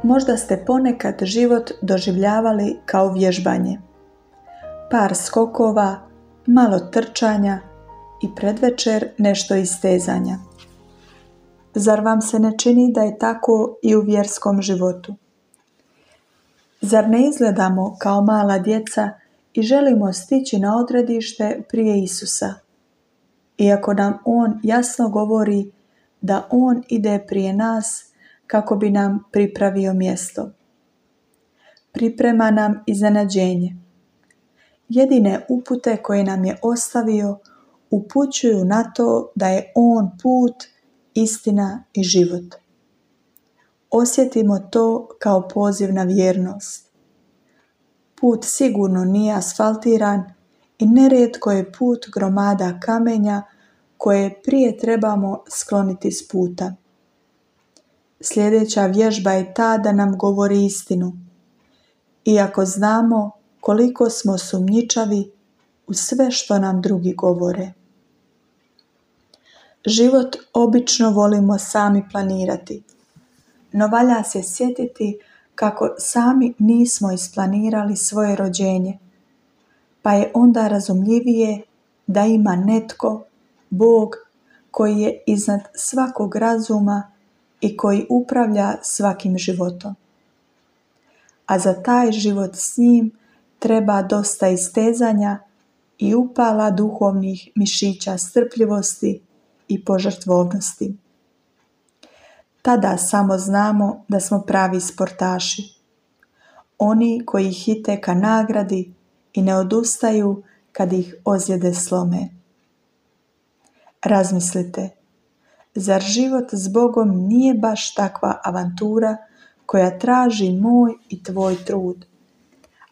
Možda ste ponekad život doživljavali kao vježbanje. Par skokova, malo trčanja i predvečer nešto istezanja. Zar vam se ne čini da je tako i u vjerskom životu? Zar ne izgledamo kao mala djeca i želimo stići na odredište prije Isusa? Iako nam On jasno govori da On ide prije nas kako bi nam pripravio mjesto. Priprema nam iznenađenje. Jedine upute koje nam je ostavio upućuju na to da je On put, istina i život. Osjetimo to kao poziv na vjernost. Put sigurno nije asfaltiran i nerijetko je put gromada kamenja koje prije trebamo skloniti s puta. Sljedeća vježba je ta da nam govori istinu. Iako znamo koliko smo sumnjičavi u sve što nam drugi govore. Život obično volimo sami planirati, no valja se sjetiti kako sami nismo isplanirali svoje rođenje, pa je onda razumljivije da ima netko, Bog, koji je iznad svakog razuma i koji upravlja svakim životom. A za taj život s njim treba dosta istezanja i upala duhovnih mišića strpljivosti i požrtvovnosti. Tada samo znamo da smo pravi sportaši. Oni koji hite ka nagradi i ne odustaju kad ih ozljede slome. Razmislite, zar život s Bogom nije baš takva avantura koja traži moj i tvoj trud,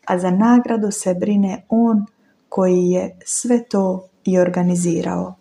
a za nagradu se brine On koji je sve to i organizirao.